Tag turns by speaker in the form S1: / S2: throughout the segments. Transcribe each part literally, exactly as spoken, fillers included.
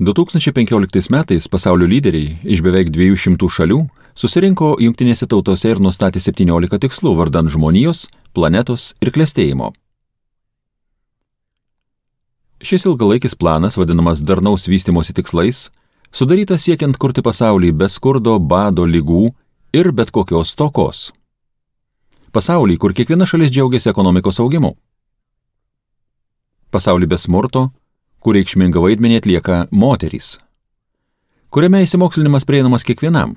S1: du tūkstančiai penkioliktais metais pasaulio lyderiai iš beveik dviejų šimtų šalių susirinko Jungtinėse tautose ir nustatė septyniolika tikslų vardan žmonijos, planetos ir klestėjimo. Šis ilgalaikis planas, vadinamas darnaus vystymosi tikslais, sudarytas siekiant kurti pasaulį be skurdo, bado, ligų ir bet kokios stokos. Pasaulį, kur kiekviena šalis džiaugiasi ekonomikos augimu. Pasaulį be smurto, kur reikšmingą vaidmenį atlieka moterys. Kuriame įsimokslinimas prieinamas kiekvienam.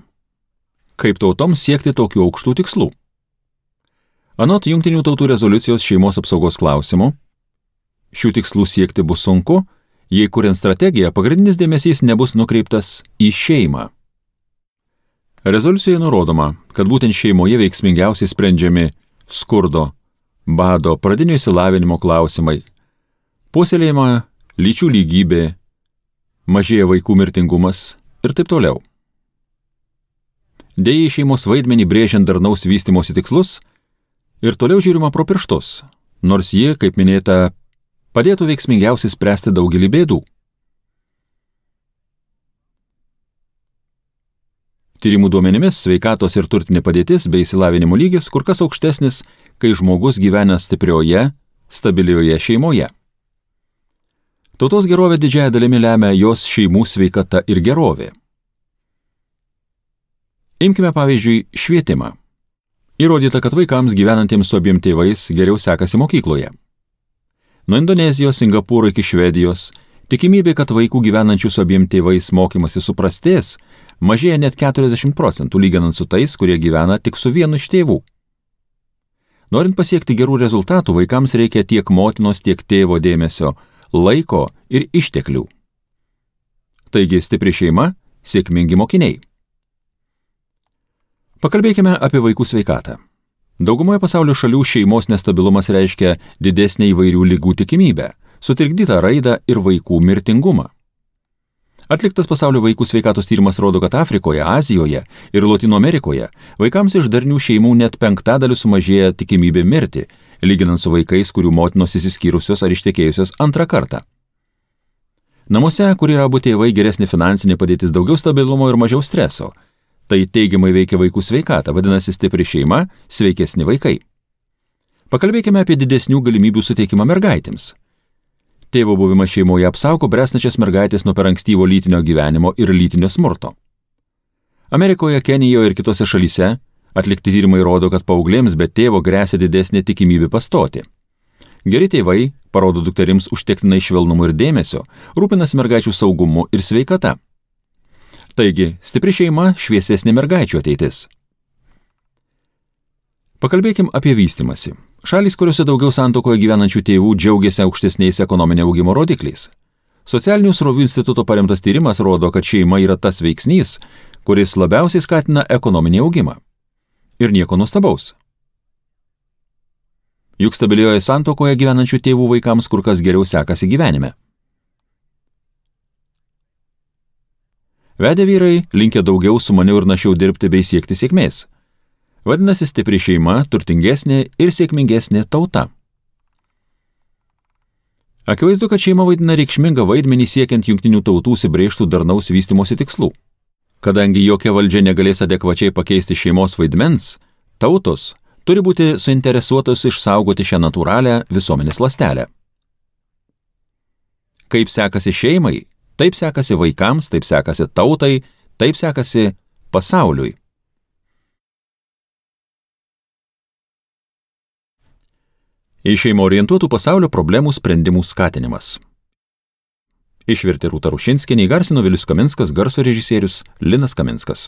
S1: Kaip tautoms siekti tokių aukštų tikslų? Anot Jungtinių tautų rezoliucijos šeimos apsaugos klausimų, šių tikslų siekti bus sunku, jei kuriant strategiją pagrindinis dėmesys nebus nukreiptas į šeimą. Rezoliucijoje nurodoma, kad būtent šeimoje veiksmingiausiai sprendžiami skurdo, bado, pradinio išsilavinimo klausimai, puoselėjama lyčių lygybė, mažėja vaikų mirtingumas ir taip toliau. Deja, šeimos vaidmenį brėžiant darnaus vystymosi tikslus ir toliau žiūrima pro pirštus, nors ji, kaip minėta, padėtų veiksmingiausiai spręsti daugelį bėdų. Tyrimų duomenimis sveikatos ir turtinė padėtis bei išsilavinimo lygis kur kas aukštesnis, kai žmogus gyvena stiprioje, stabilioje šeimoje. Tautos gerovė didžiąja dalimi lemia jos šeimų sveikata ir gerovė. Imkime pavyzdžiui švietimą. Įrodyta, kad vaikams gyvenantiems su abiem tėvais geriau sekasi mokykloje. Nuo Indonezijos, Singapūro iki Švedijos tikimybė, kad vaikų gyvenančių su abiem tėvais mokymasi suprastės, mažėja net keturiasdešimt procentų lyginant su tais, kurie gyvena tik su vienu iš tėvų. Norint pasiekti gerų rezultatų, vaikams reikia tiek motinos, tiek tėvo dėmesio, laiko ir išteklių. Taigi stipri šeima, sėkmingi mokiniai. Pakalbėkime apie vaikų sveikatą. Daugumoje pasaulio šalių šeimos nestabilumas reiškia didesnę įvairių ligų tikimybę, sutrikdytą raidą ir vaikų mirtingumą. Atliktas pasaulio vaikų sveikatos tyrimas rodo, kad Afrikoje, Azijoje ir Lotynų Amerikoje vaikams iš darnių šeimų net penktadaliu sumažėja tikimybė mirti, lyginant su vaikais, kurių motinos išsiskyrusios ar ištekėjusios antrą kartą. Namuose, kur yra abu tėvai, geresnė finansinė padėtis, daugiau stabilumo ir mažiau streso. Tai teigiamai veikia vaikų sveikatą, vadinasi stipri šeima, sveikesni vaikai. Pakalbėkime apie didesnių galimybių suteikimą mergaitėms. Tėvo buvimas šeimoje apsaugo bręstančias mergaitės nuo per ankstyvo lytinio gyvenimo ir lytinio smurto. Amerikoje, Kenijoje ir kitose šalyse atlikti tyrimai rodo, kad paauglėms be tėvo gresia didesnė tikimybė pastoti. Geri tėvai parodo dukterims užtektinai švelnumo ir dėmesio, rūpinasi mergaičių saugumu ir sveikata. Taigi, stipri šeima, šviesesnė mergaičių ateitis. Pakalbėkim apie vystymąsi. Šalys, kuriuose daugiau santuokoje gyvenančių tėvų džiaugiasi aukštesniais ekonominio augimo rodikliais. Socialinių srovių instituto paremtas tyrimas rodo, kad šeima yra tas veiksnys, kuris labiausiai skatina ekonominį augimą. Ir nieko nuostabaus. Juk stabilioje santuokoje gyvenančių tėvų vaikams kur kas geriau sekasi gyvenime. Vedę vyrai linkę daugiau sumaniau ir našiau dirbti bei siekti sėkmės. Vadinasi, stipri šeima, turtingesnė ir sėkmingesnė tauta. Akivaizdu, kad šeima vaidina reikšmingą vaidmenį siekiant Jungtinių tautų užsibrėžtų darnaus vystymosi tikslų. Kadangi jokia valdžia negalės adekvačiai pakeisti šeimos vaidmens, tautos turi būti suinteresuotos išsaugoti šią natūralią visuomenės ląstelę. Kaip sekasi šeimai, taip sekasi vaikams, taip sekasi tautai, taip sekasi pasauliui. Į šeimą orientuotų pasaulio problemų sprendimų skatinimas. Išvertė Rūta Rušinskienė, įgarsino Vilius Kaminskas, garso režisierius Linas Kaminskas.